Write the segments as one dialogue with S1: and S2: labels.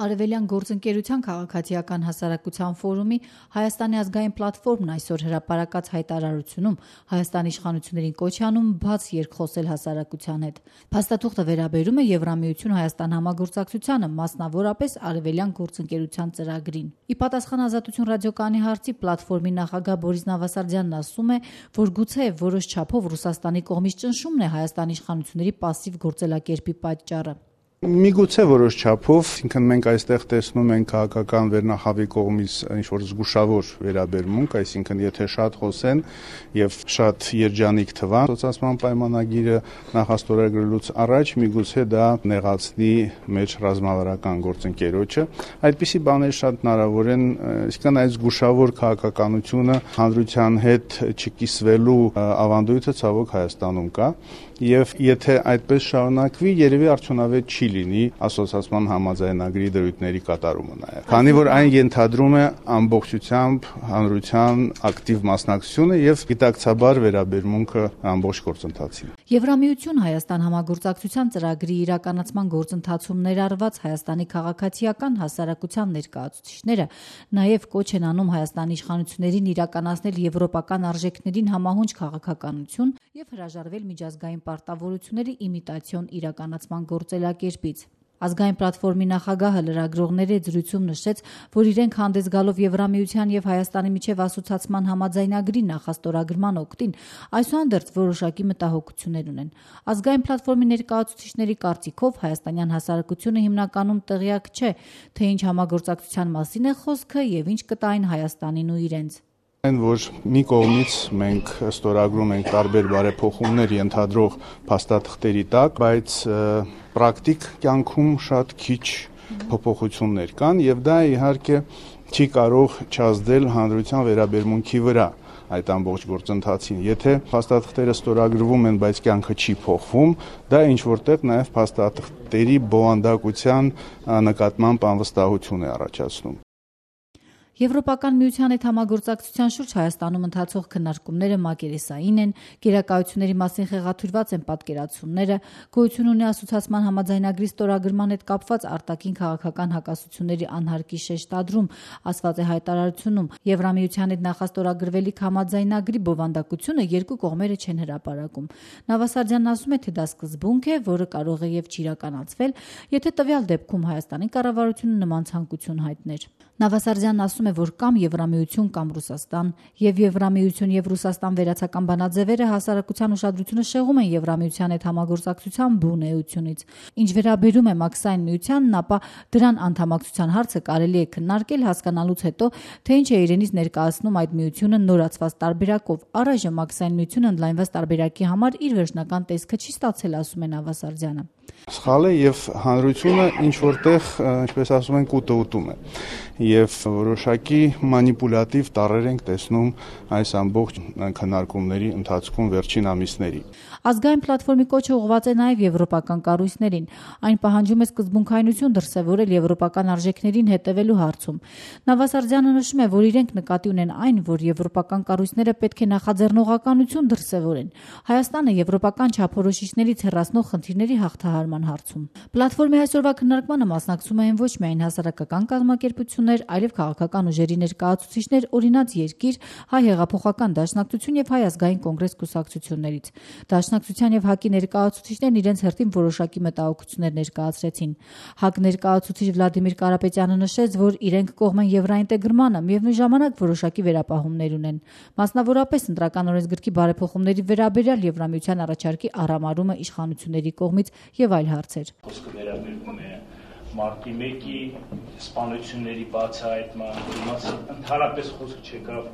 S1: Արևելյան գործընկերության քաղաքացիական հասարակության ֆորումի Հայաստանի ազգային պլատֆորմն այսօր հրապարակած հայտարարությունում Հայաստանի իշխանություններին կոչ է անում բաց երկխոսել հասարակության հետ։ Փաստաթուղթը վերաբերում է Եվրամիություն Հայաստան համագործակցությանը, մասնավորապես Արևելյան գործընկերության ծրագրին։ Ի պատասխան Ազատություն ռադիոկայանի հարցի պլատֆորմի նախագահ Բորիս Նավասարդյանն ասում է, որ գուցե որոշ չափով Ռուսաստանի կողմից ճնշումն է Հայաստանի իշխանությունների պասիվ գործելակերպի պատճառը։
S2: Միգուցե որոշ չափով, ինքն մենք այստեղ տեսնում ենք քաղաքական վերնախավի կողմից ինչ-որ զգուշավոր վերաբերմունք, այսինքն եթե շատ խոսեն եւ շատ երջանիկ թվան, սոցիալական պայմանագիրը նախաստորագրելուց առաջ միգուցե դա նեղացնի մեր ռազմավարական գործընկերոջը։ Այդպիսի բաներ շատ հնարավոր են, այսինքն այդ զգուշավոր քաղաքականությունը հանրության հետ չկիսվելու ավանդույթը ցավոք Հայաստանում կա եւ եթե այդպես շարունակվի, երևի արդյունավետ չի լինի ասոցիացիան համաձայնագրի դրույթների կատարումը նաև։ Քանի որ այն ենթադրում է ամբողջությամբ հանրության ակտիվ մասնակցությունը եւ գիտակցաբար վերաբերմունքը ամբողջ գործընթացին։
S1: Եվրամիություն Հայաստան համագործակցության ծրագրի իրականացման գործընթացում ներառված Հայաստանի քաղաքացիական հասարակության ներկայացուցիչները նաև կոչ են անում Հայաստանի իշխանություններին իրականացնել եվրոպական արժեքներին համահունչ քաղաքականություն եւ հրաժարվել միջազգային պարտավորությունների իմիտացիոն իրականացման գործելակերպից։ Ազգային պլատֆորմի նախագահը լրագրողների զրույցում նշեց, որ իրենք հանդես գալով Եվրամիության եւ Հայաստանի միջև ասոցիացման համաձայնագրի նախաստորագրման օգտին այսուհանդերձ որոշակի մտահոգություններ ունեն։ Ազգային պլատֆորմի ներկայացուցիչների կարծիքով հայաստանյան հասարակությունը հիմնականում տեղյակ չէ, թե ինչ համագործակցության մասին է խոսքը եւ ինչ կտային Հայաստանին ու իրենց։
S2: Այն որ մի կողմից մենք ստորագրում ենք տարբեր բարեփոխումներ ենթադրող փաստաթղթերի տակ, բայց պրակտիկ կյանքում շատ քիչ փոփոխություններ կան եւ դա իհարկե չի կարող չազդել հանրության վերաբերմունքի վրա այդ ամբողջ գործընթացին։ Եթե փաստաթղթերը ստորագրվում են, բայց կյանքը չի փոխվում, դա ինչ որտեղ նաեւ փաստաթղթերի բովանդակության նկատմամբ անվստահություն է առաջացնում։
S1: Եվրոպական միության հետ համագործակցության շուրջ Հայաստանում ընթացող քննարկումները մակերեսային են, գերակայությունների մասին խեղաթյուրված են պատկերացումները, գոյություն ունի ասոցիացման համաձայնագրի ստորագրման հետ կապված արտաքին քաղաքական հակասությունների անհարկի շեշտադրում, ասված է հայտարարությունում։ Եվրամիության հետ նախաստորագրվելիք համաձայնագրի բովանդակությունը երկու կողմերը չեն հրապարակում։ Նավասարդյանն ասում է, թե դա սկզբունք է, որը կարող է եւ չիրականացվել, եթե տվյալ դեպքում Հայաստանի կառավարությունը նման ցանկություն հայտներ։ Նավասարդյանն ասում է, որ կամ Եվրամիություն կամ Ռուսաստան եւ Եվրամիություն եւ Ռուսաստան վերացական բանաձևերը հասարակության ուշադրությունը շեղում են Եվրամիության հետ համագործակցության բուն էությունից։ Ինչ վերաբերում է մաքսային միությանն, ապա դրան անդամակցության հարցը կարելի է քննարկել հասկանալուց հետո, թե ինչ է իրենից ներկայացնում այդ միությունը նորացված տարբերակով։ Առայժմ մաքսային միությունը ընդլայնված տարբերակի համար իր վերջնական տեսքը չի ստացել, ասում է Նավասարդյանը։
S2: Սխալ է եւ հանրությունը ինչ որտեղ, ինչպես ասում են, կուտը ուտում է եւ որոշակի մանիպուլատիվ տառեր ենք տեսնում այս ամբողջ քննարկումների ընթացքում վերջին ամիսների։
S1: Ազգային պլատֆորմի կոչը ուղղված է նաև եվրոպական կառույցներին։ Այն պահանջում է սկզբունքայնություն դրսևորել եվրոպական արժեքներին հետևելու հարցում։ Նավասարդյանը նշում է, որ իրենք նկատի ունեն այն, որ եվրոպական կառույցները պետք է նախաձեռնողականություն դրսևորեն Հայաստանը եվրոպական չափորոշիչներից հեռացնող խնդիրների հաղթահարման հարցում։ Պլատֆորմի այսօրվա քննարկմանը մասնակցում են ոչ միայն հասարակական կազմակերպություններ, այլև քաղաքական ուժերի ներկայացուցիչներ, օրինաց Երկիր, Հայ հեղափոխական դաշնակցություն եւ Հայ ազգային կոնգրես կուսակցություններից։ Դաշնակցության եւ ՀԱԿ-ի ներկայացուցիչներն իրենց հերթին որոշակի մտահոգություններ ներկայացրեցին։ ՀԱԿ ներկայացուցիչ Վլադիմիր Կարապետյանը նշեց, որ իրենք կողմ են եվրաինտեգրմանը, միևնույն ժամանակ որոշակի վերապահումներ ունեն։ Մասնավորապես ընտրական օրենսգրքի բարեփոխումների վերաբերյալ Եվրամիության առաջարկի առամարումը իշխանությունների կողմից եւ այլ հարցեր։
S3: Խոսքը վերաբերում է մարտի 1-ի սպանությունների բացահայտման, ընդհանրապես խոսք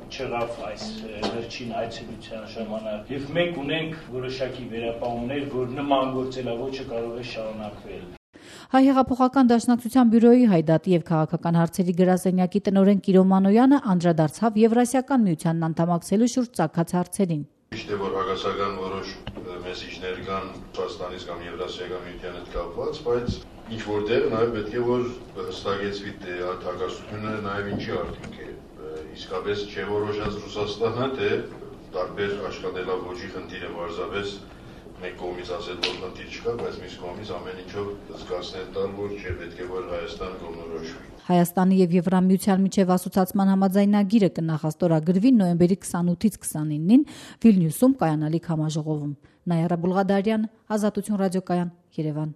S3: չեղավ այս վերջին այցելության ժամանակ եւ մենք ունենք որոշակի վերապահումներ, որ նման գործելավոճը կարող է շարունակվել։
S1: Հայ հեղափոխական դաշնակցության բյուրոյի Հայդատի եւ քաղաքական հարցերի գրասենյակի տնօրեն Կիրո Մանոյանը անդրադարձավ Եվրասիական միությանն անդամակցելու շուրջ ծագած հարցերին։
S4: Ճիշտ է, որ հակասական որոշ մեսիջներ կան Ռուսաստանից կամ Եվրասիական միության հետ կապված, բայց ինչ որտեղ նաև պետք է որ հստակեցվի թե այդ հակասությունը նաև ինչի արդյունք է։ Իսկապես չէ որոշած Ռուսաստանը, թե տարբեր աշխատելավոճի խնդիրը պարզապես մեկ կողմից ասել, որ խնդիր չկա, բայց մյուս կողմից ամեն ինչով զգացնել տալ, որ չէ, պետք է որ Հայաստան կողմնորոշվի։
S1: Հայաստանի եւ Եվրամիության միջև ասոցիացման համաձայնագիրը կնախաստորագրվի նոյեմբերի 28-ից 29-ին Վիլնյուսում կայանալիք համաժողովում։ Նայարա Բուլղադարյան, Ազատություն ռադիոկայան, Երևան։